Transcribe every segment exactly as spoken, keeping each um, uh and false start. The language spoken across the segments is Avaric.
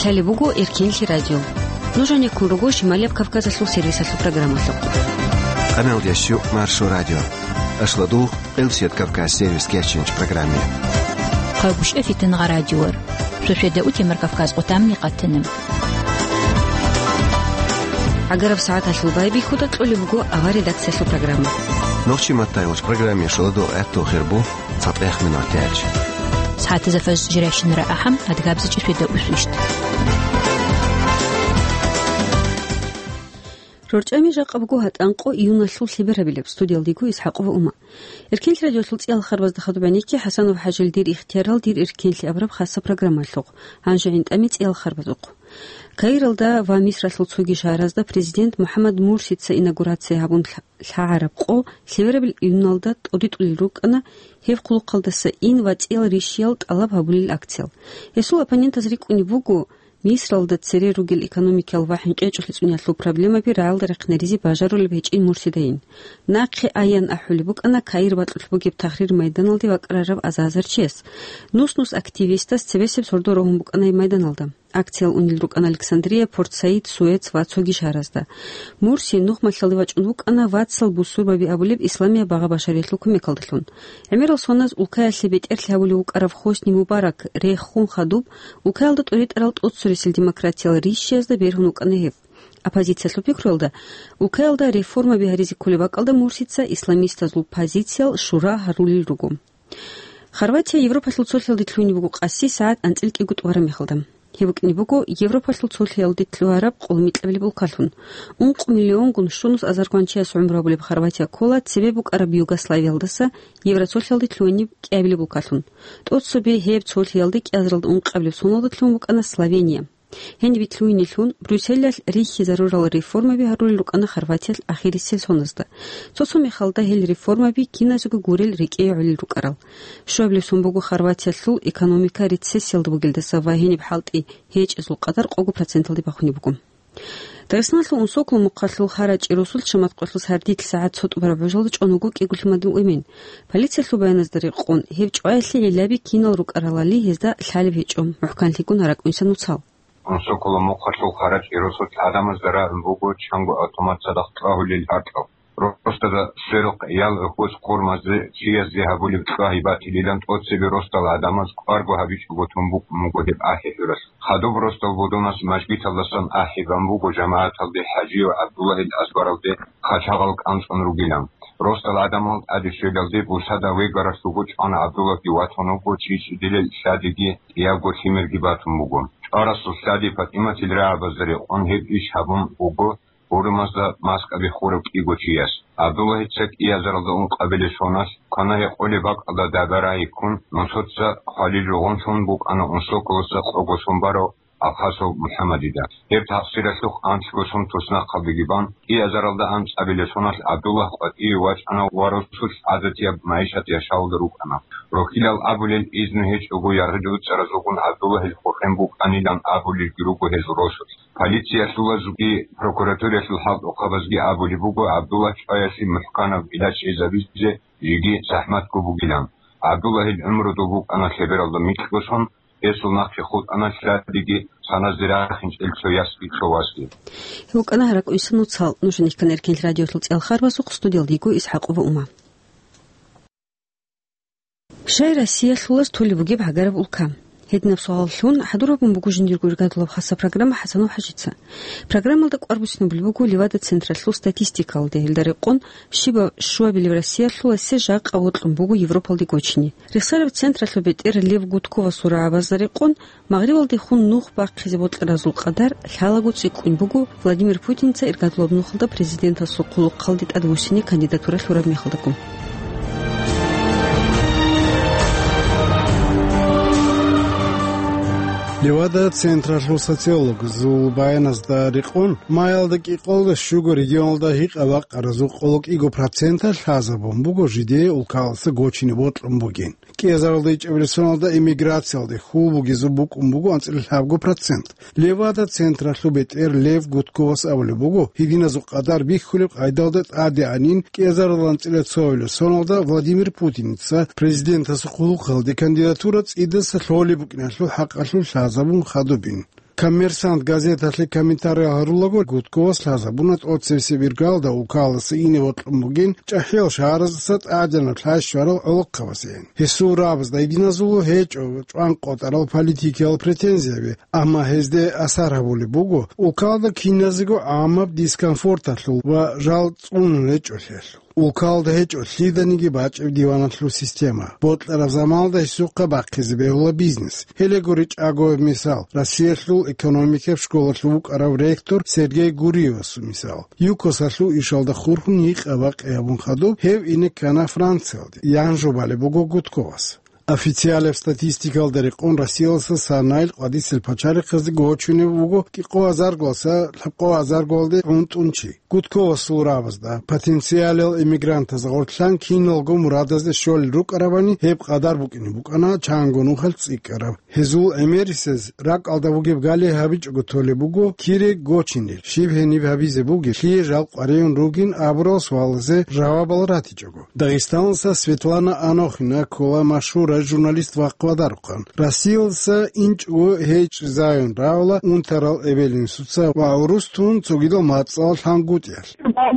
Гьале буго Эркенлъи радио. Нуж гьанеккун руго Шималияб Кавказалъул сервисалъул программалъухъ. Къамел ящу Маршо радио. Ашладугъ Элсият Кавказ сервис кечинч программе. Хъагушев Фитнагъа радиор. Сосведа утемар Кавказ къутамни къатанам. Агараб сагӀаталъул байбихьуда кьолеб буго авар редакциялъул программа. Нохчи маттайгъуч программе шоладугъ гӀатту хирбу. ЦатӀех минутач. СагӀатазда фаз жирайщинара ахӀам, адгабза чӀисвида усвищт. РорчӀами жакъа буго гьатӀанкъо июналъул лъеберабилеб, студиялдего Исхакова Ума. Эркенлъи радиолъул цӀиял харбазда хадуб гӀенекке ХӀасанов ХӀажил дир ихтиярал дир эркенлъи абураб хасса программалъухъ, гьанже гӀинтӀами цӀиял харбазухъ. Каиралда ва Мисралъул цоги шагьаразда президент МухӀаммад Мурсица инаугурация гьабун лъа-, лъагӀараб къо лъеберабил июналда тӀодитӀулел рукӀана гьеб хъулухъалдаса ин ва цӀиял рищиял тӀалаб гьабулел акциял. Гьесул оппонентаз рикӀкӀунеб буго Мисралда цере ругел экономикиял ва хӀинкъичӀолъи цӀуниялъул проблемаби рагӀалда рехъинаризе бажарулеб гьечӀин Мурсидайин. Нахъе аян ахӀулеб букӀана Каир бакьулъ бугеб Тахрир майданалде вакӀарараб аза-азар чияс. Нус-нус активистас цебесеб сордо рогьун букӀана гьеб майданалда. Акциял унел рукӀана Александрия, Порт-Саид, Суэц ва цоги шагьаразда. Мурси нухмалъалде вачӀун вукӀана вацал бусурбаби абулеб исламияб багъа-башариялъул кумекалдалъун. ГӀемерал соназ улкаялъе бетӀерлъи гьабулев вукӀарав Хосни Мубарак рехун хадуб, улкаялда тӀоритӀарал тӀоццорисел демократиял рищиязда бергьун вукӀана гьев. Оппозициялъул пикруялда, улкаялда реформаби гьаризе кколеб бакӀалда Мурсица исламистазул позициял шура гьарулел руго. Хорватия Европалъул цолъиялде лъугьунеб буго къаси сагӀат анцӀила кӀиго тӀубараб мехалда. Гьеб букӀине буго Европалъул цолъиялде лъугьараб къоло микьабилеб улкалъун. Ункъо миллионгун щунус азаргъван чияс гӀумру гьабулеб Хорватия ккола цебе букӀараб Югославиялдаса Евроцолъиялде лъугьунеб кӀиабилеб улкалъун. ТӀоцебе гьеб цолъиялде кӀиазаралда ункъабилеб соналда лъугьун букӀана Словения. Гьениб лъугьинелъун Брюсселалъ рихьизарурал реформаби гьарулел рукӀана Хорватиялъ ахирисел соназда. Цо-цо мехалда гьел реформаби киназего гурел рекӀее гӀолел рукӀарал. Щуабилеб сон буго Хорватиялъул экономика рецессиялда бугелдаса ва гьениб хӀалтӀи гьечӀезул къадар къого проценталде бахунеб буго. Дагъистаналъул Унсоколо мухъалъул Харачи росулъ Шаматкъоялъул сардилъ сагӀат цо тӀубараб гӀужалда чӀун вуго кӀиго лъимадул эмен. Полициялъул баяназда рекъон, гьеб чӀваялъе гӀиллаби кинал рукӀаралали гьезда лъалеб гьечӀо, мухӀканлъигун гьаракь-инсан нуцал. Унсоколо мухъалъул Харачи росулъ гӀадамазда рагӀун буго чанго автомат цадахъ чӀвагьулел гьаркьаб. Росдада сверухъ ял гӀухьбуз хъурмазе чиязе гьабулеб чӀвагьи батилилан тӀоцебе росдал гӀадамаз кӀварго гьабичӀого тун букӀун буго гьеб ахӀи-хӀуралъ. Хадуб росдал будунас мажгиталдасан ахӀи бан буго жамагӀаталде ХӀажияв ГӀабдуллагьил азбаралде хъачагъал кӀанцӀун ругилан. Росдал гӀадамал тӀаде щвелалде бусада вегаралъуго чӀвана ГӀабдуллагьги ватун вуго чӀичӀидилел лъадиги кӀиябго лъимерги батун буго. ЧӀварасул лъади ПатӀиматил рагӀабазда рекъон гьеб иш гьабун буго гьурмазда маскаби хурав кӀиго чияс. ГӀабдуллагьица кӀиазаралда ункъабилеб соналъ квана-гьекъолеб бакӀалда даба рагьи ккун, нусоца хвалил ругъунлъун букӀана Унсоколоса къого сон барав Алхасов МухӀаммадида. Гьеб такъсиралъухъ анлъго сон туснахъалдеги бан, кӀиазаралда анцӀабилеб соналъ ГӀабдуллагь къватӀиве вачӀана ва росулъ гӀадатияб магӀишат яшавулда рукӀана. Рохьилал абулел изну гьечӀого яргъи-дуцӀаразулгун ГӀабдуллагьил хохен букӀанилан абулелги руго гьезул росулъ. Полициялъулазги прокуратураялъул хӀалтӀухъабазги абулеб буго ГӀабдуллагь чӀваялъе мухӀканаб гӀилаж гьезабизе жеги захӀматго бугилан. ГӀабдуллагьил гӀумру доб букӀана лъебералда микьго сон, гьесул нахъе хутӀана лъадиги саназде рахинчӀел цо ясги цо васги. Гьев вукӀана гьаракь-инсан нуцал, нуж гьанихъан Эркенлъи радиолъул цӀел харбазухъ, студиялда йиго Исхакова Ума. Щай Россиялъулас толеб бугеб гӀагараб улка? Гьединаб суаллъун хӀадур гьабун буго жиндирго иргадулаб хасса программа ХӀасанов ХӀажица. Программалда кӀвар буссинабулеб буго Левада-централъул статистикалде, гьелда рекъон щибаб щуабилеб Россиялъуласе жакъа вокьун буго Европалде гочине. Рехсараб централъул бетӀер Лев Гудковасул рагӀабазда рекъон, Магърибалдехун нух бахъизе бокьаразул къадар лъалаго цӀикӀкӀун буго Владимир Путинца иргадулаб нухалда президентасул хъулухъалде тӀадвуссине кандидатура лъураб мехалдаго. Левада централъул социологазул баяназда рекъон, маялда кӀикъоялда щуго регионалда гьикъа-бакъаразул къоло кӀиго проценталъ лъазабун буго жидее улкаласа гочине бокьун бугин. КӀиазаралда ичӀабилеб соналда эмиграциялде хьул бугезул букӀун буго анцӀила лъабго процент. Левада централъул бетӀер Лев Гудковас абулеб буго, гьединазул къадар бихьулеб къайдалда тӀадегӀанин кӀиазарал анцӀила цоабилеб соналда Владимир Путинца президентасул хъулухъалде кандидатура цӀидаса лъолеб букӀиналъул хӀакъалъулъ лъазабун хадубин. «Коммерсант» газеталъе комментарий гьарулаго, Гудковас лъазабуна тӀоцебесеб иргалда улкалдаса ине бокьун бугин чӀахӀиял шагьараздаса тӀадегӀанаб лъай щварал гӀолохъабазейин. Гьесул рагӀабазда гьединазул гьечӀо чӀван къотӀарал политикиял претензияби, амма гьезде асар гьабулеб буго улкалда киназего гӀамаб дискомфорталъул ва жал цӀунун гьечӀолъиялъул. Улкалда гьечӀо лъиданиги бачӀеб диваналъул система. Бокьараб заманалда гьесухъа бахъизе бегьула бизнес. Гьеле гури чӀаго мисал: Россиялъул экономикаб школалъув вукӀарав ректор Сергей Гуриевасул мисал. ЮКОСалъул ишалда хурхун гьикъа-бакъи гьабун хадуб, гьев ине ккана Франциялде, ян жубалеб буго Гудковас. Официалаб статистикалда рекъон, Россиялдаса санайил къватӀисел пачалихъазде гочунеб буго кӀикъоязаргоялдаса лъабкъоязаргоялде гӀунтӀун чи. Гудковасул рагӀабазда потенциалал эмигрантаз гъорлъан киналго мурадазде щолел рукӀарабани, гьеб къадар букӀине букӀана чанго нухалъ цӀикӀкӀараб. Гьезул гӀемерисез ракӀалда бугеб гали гьабичӀого толеб буго кире гочинел, щиб гьениб гьабизе бугеб, лъие жал къваригӀун ругин абурал суалазе жавабал ратичӀого. Дагъистаналдаса Светлана Анохина ккола машгьурай журналист вахъ вадарухъан. Россиялдаса инчӀого гьечӀезайун равала унтарал эбел-инсуца ва гӀурус тун цогидал мацӀалъ лъангутӀиялъ.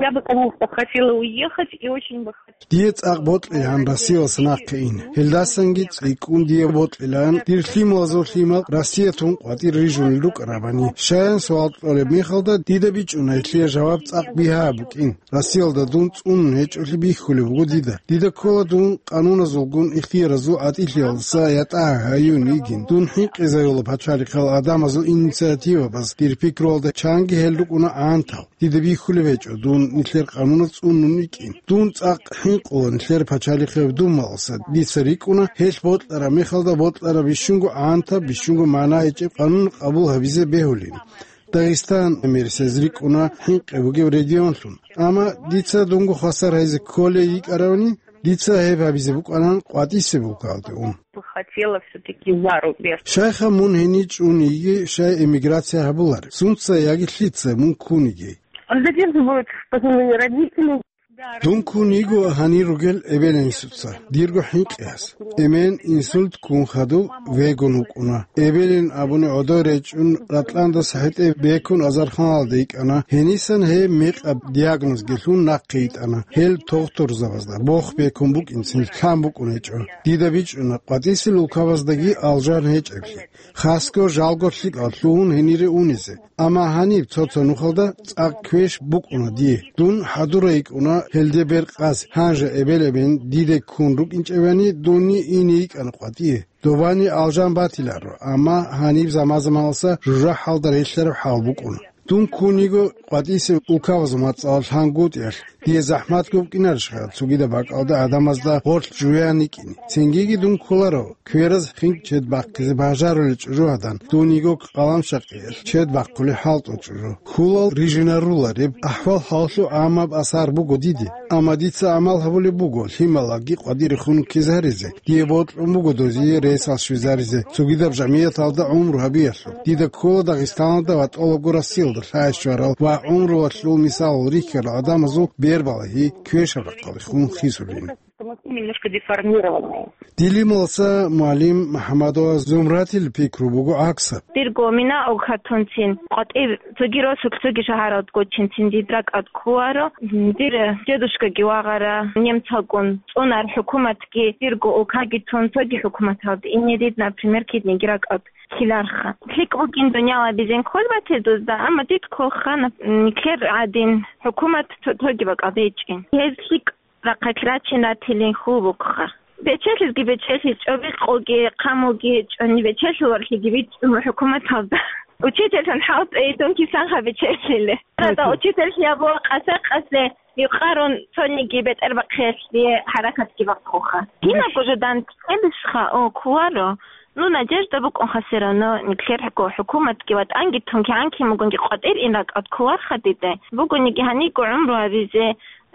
Я бы, конечно, хотела уехать и очень бы хотела. Дие цӀакъ бокьилаан Россиялдаса нахъе ин. Гьелдасанги цӀикӀкӀун дие бокьилаан, дир лъималазул лъимал Россия тун къватӀир рижунел рукӀарабани. Щаян суал кьолеб мехалда, дида бичӀчӀуна гьелъие жаваб цӀакъ бигьа букӀин. Россиялда дун цӀунун гьечӀолъи бихьулеб буго дида. Дида ккола дун къануназулгун ихтияразул гӀатӀилъиялдаса ятӀа гьаюн йигин. Дун хӀинкъизаюла пачалихъал гӀадамазул инициативабаз, дир пикруялда чанги гьел рукӀуна гӀантал. Дида бихьулеб гьечӀо дун нилъер къануназ цӀунун йикӀин. Дун цӀакъ хӀинкъула нилъер пачалихъе дун малъаса. Дица рикӀкӀуна, гьелъ бокьараб мехалда бокьараб бищунго гӀантаб, бищунго магӀна гьечӀеб къанун къабул гьабизе бегьулин. Дагъистан гӀемерисез рикӀкӀуна хӀинкъи бугеб регионлъун. Амма дица дунго хвасар гьайзе кколей йикӀаравани, дица гьеб гьабизе букӀанан къватӀисеб улкалде ун. Хотела всё-таки за рубеж. Щайха мун гьенив чӀун йиги, щай эмиграция гьабулареб? Сунца яги лъица мун ккун йиги? Он задерживает в поселении родителей. Дун ккун йиго гьанир ругел эбел-инсуца, дирго хӀинкъиялъ. Эмен инсульт ккун хадуб вегун вукӀуна. Эбелин абуни гӀодой речӀчӀун, Ратландаса хӀетӀе бекун азарханалде йикӀана. Гьенисан гьеб мекъаб диагнозги лъун нахъе йитӀана. Гьел тухтурзабазда бох бекун букӀинцин лъан букӀун гьечӀо. Дида бичӀчӀуна къватӀисел улкабаздаги алжан гьечӀеблъи. Хасго жалго лъикӀал лъугьун гьенире унизе. Амма гьаниб цо-цо нухалда цӀакъ квеш букӀуна дие. Дун хӀадурай йикӀуна гьелде бер къаз, гьанже эбел-эмен диде ккун рукӀинчӀебани, дунни ине йикӀана къватӀие. Добани алжан батиларо, амма гьаниб заман-заманалса жужахӀалда релълъараб хӀал букӀуна. Дун ккун йиго къватӀисеб улкабазул мацӀалъ лъангутӀиялъ, дие захӀмат гукӀинарищха цогидаб бакӀалда гӀадамазда гъорлъ жуян йикӀине? Цингиги дун кколаро, квераз хинкӀ чед бахъизе бажарулел чӀужугьадан, дун йиго къаламшакъиялъ чед бахъулеб хӀалтӀул чӀужу. Хьулал рижинарулареб ахӀвал-хӀалалъул гӀаммаб асар буго диде, амма дица гӀамал гьабулеб буго лъималаги къватӀирехун ккезаризе. Дие бокьун буго дозие ресал щвезаризе, цогидаб жамигӀаталда гӀумру гьабиялъул. Дида ккола Дагъистаналда ва тӀолабго Россиялда лъай щварал ва гӀумруялъул мисалал рихьарал гӀадамазул бербалагьи квешаб рахъалдехун хисулин. Что мы все немножко деформированные. Дилималса мугӀалим МухӀаммадова Зумратил пикру буго гӀаксаб. Дирго мина огьатунцин, къватӀир цоги росулъ цоги шагьаралд гочинцин дид ракӀад кколаро. Дир дедушкаги вагъара немцалгун цӀунар хӀукуматги, дирго улкаги тун цоги хӀукуматалда ине дид, например, кидниги ракӀад ккеларха. ЛъикӀ бугин дунялабизин кколбател дузда, амма дид кколха, нап-, нилъер гӀадин хӀукумат цо-, цоги бакӀалда гьечӀин. Гьез лъикӀ рахъалъ рачин ратилин хьул букӀха. Бечелъизги бечелъи, чӀоби къоги, хъамуги, чӀони бечелъи варлъиги бицун хӀукуматалда. Учительлъун хӀалтӀей, дун кисанха бечелъиле. Гьада учительлъи абула къаса-къасе, юкъарун цониги бетӀербахъиялъе хӀаракатги бахъуха. Кинабго жо данцӀелищха, о, кколаро. Ну, надежда букӀунха всё равно, нилъер хӀуку-, хӀукуматги ва тӀанги тун кигӀан кин бугунги къватӀир ин ракӀад кколарха дида. Бугониги гьаниго гӀумру гьабизе,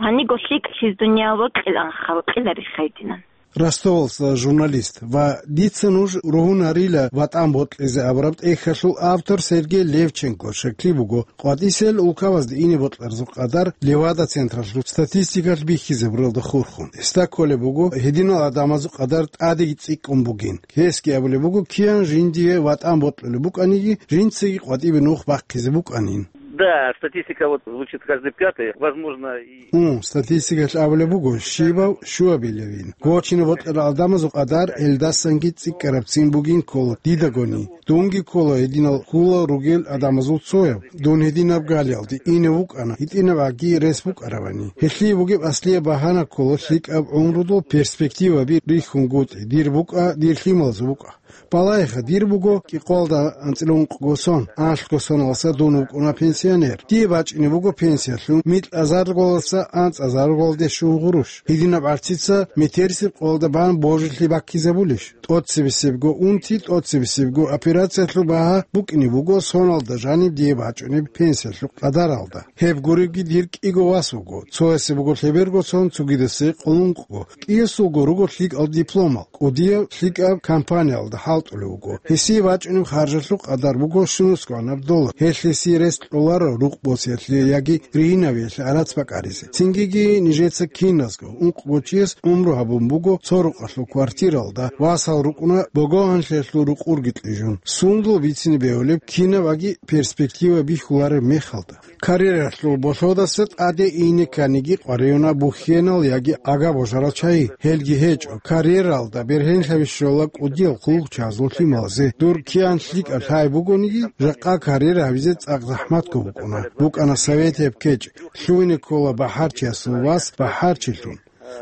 гьаниго лъикӀлъиз дуниял вокьиланха, вокьиларихха гьединан. Ростовалъа журналист ва «Дица нуж ругьунарила ватӀан бокьизе» абураб тӀехьалъул автор Сергей Левченко щеклъи буго, къватӀисел улкабазде ине бокьарзул къадар Левада централъул статистикалъ бихьизе буралда хурхун. Гьесда кколеб буго, гьединал гӀадамазул къадар тӀадеги цӀикӀкӀун бугин. Гьесги абулеб буго, киян жиндие ватӀан бокьулеб букӀаниги, жинцаги къватӀибе нух бахъизе букӀанин. Да, статистика вот звучит каждый пятый, возможно, и Гьу, статистикалъ абулеб буго, щибав щуабилевин. Гочине бокьарал гӀадамазул къадар гьелдасанги цӀикӀкӀарабцин бугин ккола дидагони. Дунги ккола гьединал хьулал ругел гӀадамазул цояв. Дун гьединаб галиялде ине вукӀана, гьитӀинаб гӀаги рес букӀаравани. Гьелъие бугеб аслияб багьана ккола лъикӀаб гӀумрудул перспективаби рихьунгутӀи, дир букӀа, дир лъималазул букӀа. Балагьеха, дир буго кӀикъоялда анцӀила ункъго сон, анлъго соналдаса дун вукӀуна пенсионер. Дие бачӀине буго пенсиялъун микьазарголдаса анцӀазарголде щун гъурущ. Гьединаб гӀарцица метерисеб къоялда бан божилъи баккизабулищ? ТӀоцебесебго унти, тӀоцебесебго операциялъул багьа букӀине буго соналда жаниб дие бачӀунеб пенсиялъул къадаралда. Гьеб гуребги дир кӀиго вас вуго, цоясе буго лъеберго сон, цогидасе къоло ункъго, кӀиясулго руго лъикӀал дипломал, кӀудияв лъикӀаб компаниялда хӀалтӀулев вуго. Гьесие бачӀунеб харжалъул къадар буго щунусгӀанаб доллар. Гьелъ гьесие рес кьоларо рукъ босиялъе яги ригьинавиялъе гӀарац бакӀаризе. Цингиги нижеца киназго, ункъго чияс гӀумру гьабун буго цо рукъалъул квартиралда, васал рукӀуна богогьанлъиялъул рукъурги кьижун. Сундул бицине бегьулеб, кинаб аги перспектива бихьулареб мехалда. Карьералъул болъодаса тӀаде ине кканиги къваригӀуна бухьенал яги агаб божарал чагӀи. Гьелги гьечӀо, карьералда бергьенлъаби щола кӀудиял хъулухъчазул лъималазе. Дур киян лъикӀаб лъай бугониги, жакъа карьера гьабизе цӀакъ захӀматго букӀуна. БукӀана советияб кечӀ, лъугьине ккола бахӀарчиясул вас бахӀарчилъун.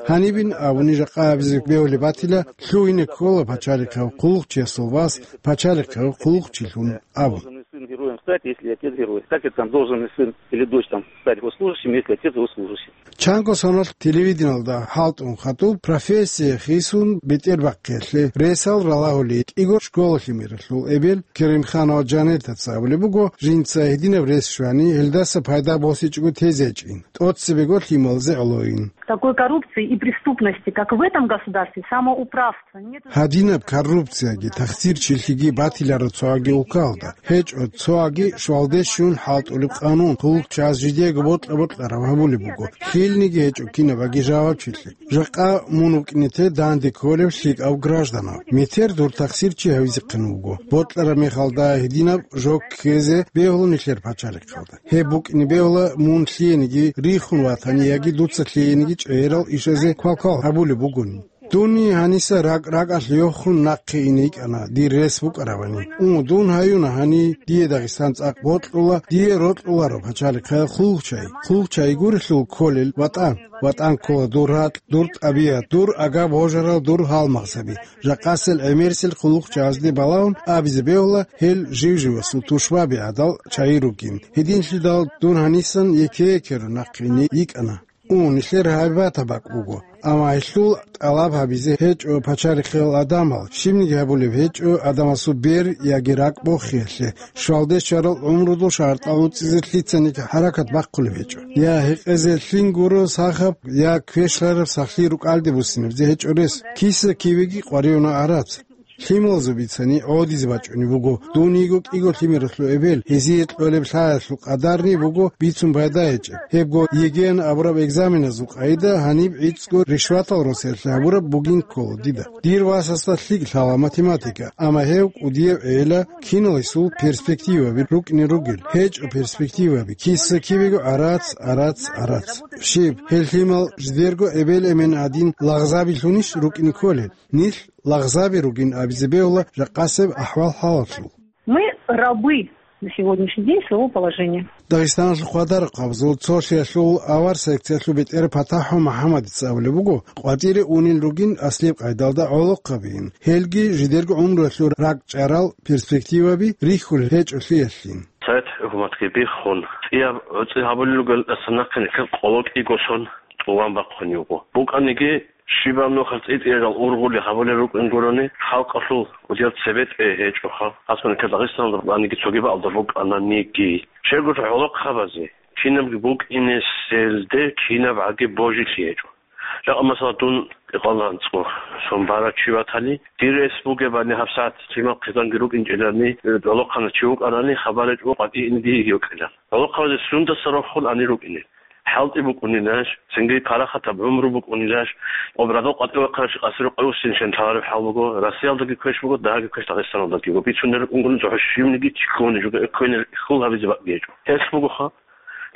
Гьанибин абуни жакъа абизе бегьулеб батила, лъугьине ккола пачалихъав хъулухъчиясул вас пачалихъав хъулухъчилъун абун. Должен ли сын героем стать, если отец герой? Как это там, должен ли сын или дочь там стать госслужащим, если отец госслужащий? Чанго соналъ телевидениялда хӀалтӀун хадуб профессия хисун бетӀер бахъиялъе ресал ралагьулей кӀиго школа лъимералъул эбел Керимханова Жанетаца абулеб буго, жинца гьединаб рес щвани, гьелдаса пайда босичӀого тезе гьечӀин, тӀоцебего лъималазе гӀолойин. Такой коррупции и преступности, как в этом государстве, самоуправства нет. Гьадинаб коррупцияги тахсирчилъиги батиларо цоаги улкаялда. ГьечӀо цоаги швалде щун хӀалтӀулеб къанун, хъулухъчияс жидеего бокьа-бокьараб гьабулеб буго. Лъилниги гьечӀо кинабаги жавабчилъи. Жакъа мун вукӀине те данде кколев лъикӀав гражданав. Метер дур тахсирчи гьавизехъин вуго. Бокьараб мехалда гьединаб жо ккезе бегьула нилъер пачалихъалда. Гьеб букӀине бегьула мун лъиениги рихун ватани яги дуца лъиениги чӀегӀерал ишазе квалквал гьабулеб бугони. Дунни гьаниса ракӀ-ракӀалъ йохун нахъе ине йикӀана, дир рес букӀарабани. У, дун гьаюна гьани, дие Дагъистан цӀакъ бокьула, дие рокьуларо пачалихъе хъулухъчай. Хъулухъчай гурелъул кколел ватӀан. ВатӀан ккола дур ракь, дур тӀабигӀат, дур агаб-божарал, дур гьалмагъзаби. Жакъасел гӀемерисел хъулухъчазде балагьун абизе бегьула, гьел жив-живасул тушбаби гӀадал чагӀи ругин. Гьединлъидал дун гьанисан еке-екеро нахъе ине йикӀана. У, нилъер гьайбатаб бакӀ буго. Амма гьелъул тӀалаб гьабизе гьечӀо пачалихъел адамал, щибниги гьабулеб гьечӀо адамасул бер яги ракӀ бохиялъе, швалде щварал гӀумрудул шартӀал уцӀизе лъицаниги хӀаракат бахъулеб гьечӀо. Я гьекъезе лъин гуро сахаб, я квешлъараб сахлъи рукӀалде буссинабизе гьечӀо рес. Киса-кивеги къваригӀуна гӀарац. Лъималазул бицани гӀодизе бачӀунеб буго, дун йиго кӀиго лъимералъул эбел, гьезие кьолеб лъаялъул къадарни буго бицун пайда гьечӀеб. Гьебго ЕГЭ-ян абураб экзаменазул къайда гьаниб гӀицӀго ришватал росиялъе гьабураб бугин ккола дида. Дир васасда лъикӀ лъала математика, амма гьев кӀудияв гӀела, киналайсул перспективаби рукӀине ругел, гьечӀо перспективаби, киса-кибего гӀарац, гӀарац, гӀарац. Щиб, гьел лъимал жидерго эбел-эмен гӀадин лагъзабилъунищ рукӀине кколел? Нилъ лагъзаби ругин абизе бегьула жакъасеб ахӀвал-хӀалалъул. Мы рабы на сегодняшний день своего положения. Дагъистаналъул хъвадарахъабазул цолъиялъул авар секциялъул бетӀер ПатахӀов МухӀаммадица абулеб буго, къватӀире унел ругин аслияб къайдалда гӀолохъабиин, гьелги жидерго гӀумруялъул ракӀчӀарал перспективаби рихьулел гьечӀолъиялъин. Совет хӀукуматги биххун, цӀияб гӀуцӀи гьабулел ругел тӀасан нахъе нилъер къоло кӀиго сон тӀуван бахъун йуго. БукӀаниги, щибаб нухалъ цӀи-цӀиязул ургъули гьабулел рукӀин гурони, халкъалъул кӀудияв цебетӀей гьечӀоха, асманика Дагъистаналда букӀаниги цоги бакӀалда букӀананиги. Щайгурелъул гӀолохъабазе, кинабги букӀинеселде кинаб гӀаги божилъи гьечӀо. Жакъа, масала, дун Икъалда анцӀго сон барав чи ватани, дир рес бугебани гьабсагӀат лъимал хъизанги рукӀинчӀилани, гӀолохъанав чи вукӀарани хабар гьечӀо къватӀиеги йикӀила. ГӀолохъабазе сундаса рохун ани рукӀине. ХӀалтӀи букӀунилаш, цинги парахатаб гӀумру букӀунилаш, обрадал къватӀивахъарав чи къасиро къоюсин шен лъалареб хӀал буго, Россиялдаги квеш буго, дагьаги квеш Дагъистаналдаги. Ва бицунел рукӀунгун цохӀо щивниги чи ккони жуга экквейнер хьул гьабизе бакӀги гьечӀо. Гьелъ бугоха,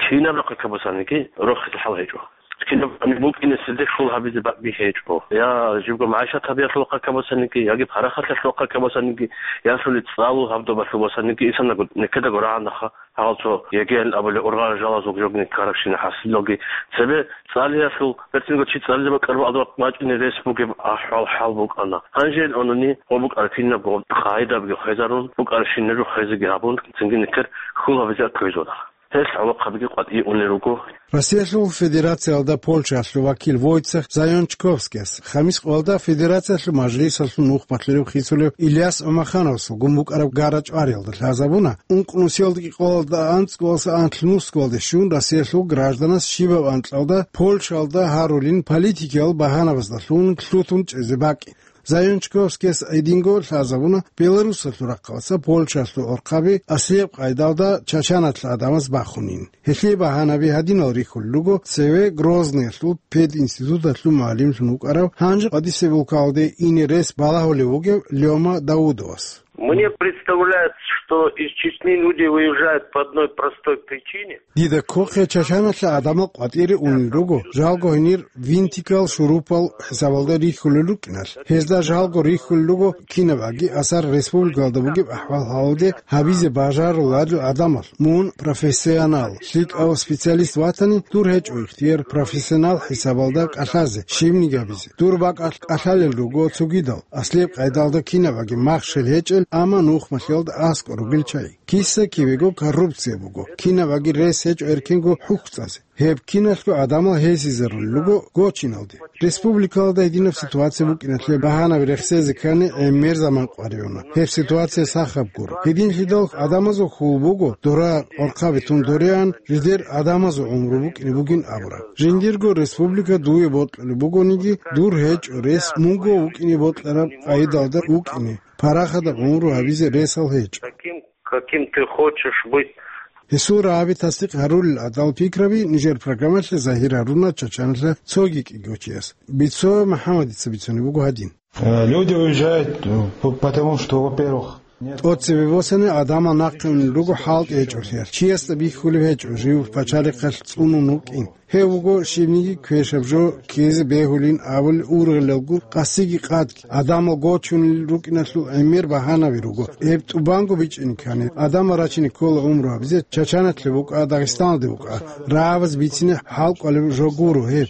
кинаб рахъа кабасаниги рохизе хӀал гьечӀо. Кинаб букӀинеседе хьул гьабизе бакӀги гьечӀо. Я жибго магӀишат гьабиялъул рахъа кабасаниги, яги парахаталъул рахъа кабасаниги, ясули цӀалул гьабдобалъул босаниги, исанаго некедаго рагӀанаха. Гьал цо ЕГЭ-ян абулеб ургъарал жалазул жогни ккарабщина хӀасилалги, цебе цӀалиялъул, берцинго чи цӀализе бакӀараб алда бачӀине рес бугеб ахӀвал-хӀал букӀана. Гьанже ил гӀунани гъо букӀараб кинабго къагӀидабги хвезарун, букӀарабщинаб жо хвезеги гьабун, цинги нилъер хьул гьабизе кквезаруна. Гьелъ гӀолохъабиги къватӀие унел руго. Россиялъул Федерациялда Польшаялъул вакил Войцех Зайончковскияс, Хамис къоялда Федерациялъул мажлисалъул нухмалъурав хисулев Ильяс ГӀумахановасулгун букӀараб гара-чӀвариялда лъазабуна, ункънусиялда кӀикъоялда анцӀгоялдаса анлънус кколде щун Россиялъул гражданас щибаб анкьалда Польшаялда гьарулин политикиял багьанабаздалъун лъутун чӀезе бакӀин. Зайончковскияс гьединго лъазабуна Беларусалъул рахъалъа Польшалъул орхъаби аслияб къайдалда чачаналъа гӀадамаз бахунин. Гьелъие багьанаби гьадинал рихьулел руго цеве Грозныялъул пединституталъул мугӀалимлъун вукӀарав, гьанже къватӀисеб улкалде ине рес балагьулев вугев Лёма Даудовас. Мне представляется, что из Чечни люди выезжают по одной простой причине. Дида кколъе чачаналъа гӀадамал къватӀире унел руго, жалго гьенир винтикал шурупал хӀисабалда рихьулел рукӀиналъ. Гьезда жалго рихьулел руго кинабаги асар республикалда бугеб ахӀвал-хӀалалде гьабизе бажаруларел гӀадамал. Мун профессионал, лъикӀав специалист ватани, дур гьечӀо ихтияр профессионал хӀисабалда кӀалъазе, щибниги гьабизе. Дур бакӀалъ кӀалъалел руго цогидал, аслияб къайдалда кинабаги махщел гьечӀел, амма нухмалъиялда аскӀор ругел чагӀи. Киса-кивего коррупция буго, кинабаги рес гьечӀо эркенго хӀухьцӀазе. Гьеб киналъго гӀадамал гьесизарулел руго гочиналде. Республикалда гьединаб ситуация букӀиналъе багьанаби рехсезе ккани гӀемер заман къваригӀуна. Гьеб ситуация сахаб гуро. Гьединлъидал гӀадамазул хьул буго, дора къорхъаби тун дореан, жидер гӀадамазул гӀумру букӀине бугин абураб. Жиндирго республика дуе бокьулеб бугониги, дур гьечӀо рес мунго вукӀине бокьараб къайдалда вукӀине, парахатаб гӀумру гьабизе ресал гьечӀо. Каким ты хочешь быть. Гьесул рагӀаби тасдикъ гьарулел гӀадал пикраби нижер программалъе загьир гьаруна чачаналъа цоги кӀиго чияс. Бицо МухӀаммадица бицунеб буго гьадин. Э, люди уезжают, э, п-, потому что, во-первых, нет. ТӀоцебе босани гӀадамал нахъе унел руго хӀалтӀи гьечӀолъиялъ. Чиясда бихьулеб гьечӀо жив пачалихъалъ цӀунун вукӀин. Гьев вуго щибниги квешаб жо ккезе бегьулин абулел ургъелалго къасиги къадги, гӀадамал гочунел рукӀиналъул гӀемер багьанаби руго. Гьеб тӀубанго бичӀчӀине ккани, гӀадамал рачине ккола гӀумру гьабизе, Чачаналъе букӀа, Дагъистаналде букӀа, рагӀабаз бицине хӀал кӀвалеб жо гуро гьеб.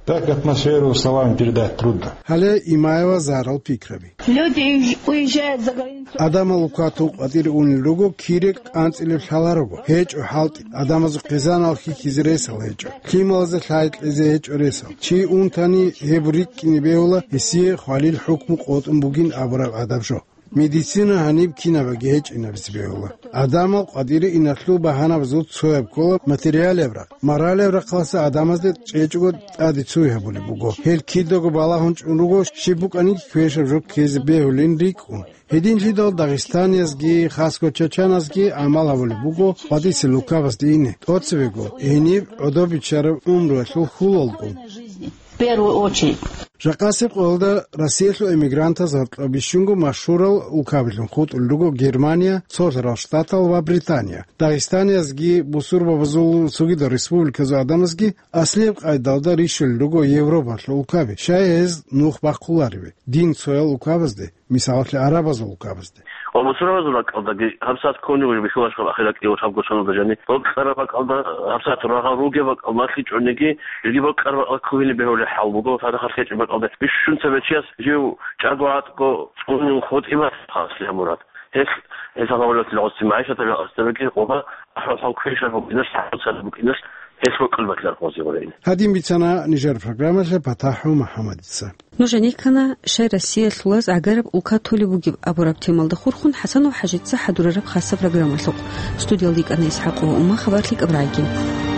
Так атмосферу словами передать трудно. Гьале Имаева Зарал пикраби. Люди уезжают за границу. Адамал укатун къватӀире унел руго, кире кӀанцӀилеб лъаларого. ГьечӀо хӀалтӀи, адамазул хъизанал хьихьизе ресал гьечӀо. Лъималазе лъай кьезе гьечӀо ресал. Чи унтани гьеб рикӀкӀине бегьула, гьесие хвалил хӀукму къотӀун бугин абураб гӀадаб жо. Медицина гьаниб кинабаги гьечӀинабизе бегьула. Адамал къватӀире иналъул багьанабазул цояб ккола материалияб рахъ. Моралияб рахъалъа адамазде чӀечӀого тӀаде цуй гьабулеб буго. Гьел кидаго балагьун чӀун руго, щиб букӀаниги квешаб жо ккезе бегьулин рикӀкӀун. Гьединлъидал дагъистаниязги, хасго чачаназги гӀамал гьабулеб буго къватӀисел улкабазде ине, тӀоцебего, гьениб гӀодобичараб гӀумруялъул хьулалго. В первую очередь. Жакъасеб къоялда Россиялъул эмигрантаз гьоркьоб бищунго машгьурал улкабилъун хутӀулел руго Германия, Цолъарал Штатал ва Британия. Дагъистаниязги, бусурбабазул цогидал республиказул адамазги аслияб къайдалда рищулел руго Европалъул улкаби, щай гьез нух бахъулареве, дин цоял улкабазде, мисалалъе, гӀарабазул улкабазде. Ва бусурбабазул ракӀалдаги гьабсагӀат ккони вуж бихьулаш гьаб ахират кӀиявулъ гьаб гошаналда жани. Бокьараб бакӀалда гьабсагӀат рагъал ругеб бакӀал малъичӀониги, жеги бокьараб бакӀал ккугьине бегьулеб хӀал буго, цадахъ хӀечӀеб бакӀалда. Бищун цебе чияс жив чӀаго гӀатӀго цӀунун хутӀи бац, хас, я мурад. Гьелъ, гьесал гьавалалъул гӀуцци магӀишаталъул гьасдабиги къоба, ахӀвал-хӀал квешаб букӀиналъ, хӀалцадаб букӀиналъ, гьелъ бокьулеб батилар къозе гъорейин. Гьадин бицана нижер программалъе ПатахӀу МухӀаммадица. Нуж гьаниккана, щай Россиялъулаз гӀагараб улка толеб бугеб абураб темалда хурхун ХӀасанов ХӀажица хӀадурараб хасаб программалъухъ. Студиялда йикӀана ИсхӀакъова Умма, хабар лъикӀаб рагӀиги.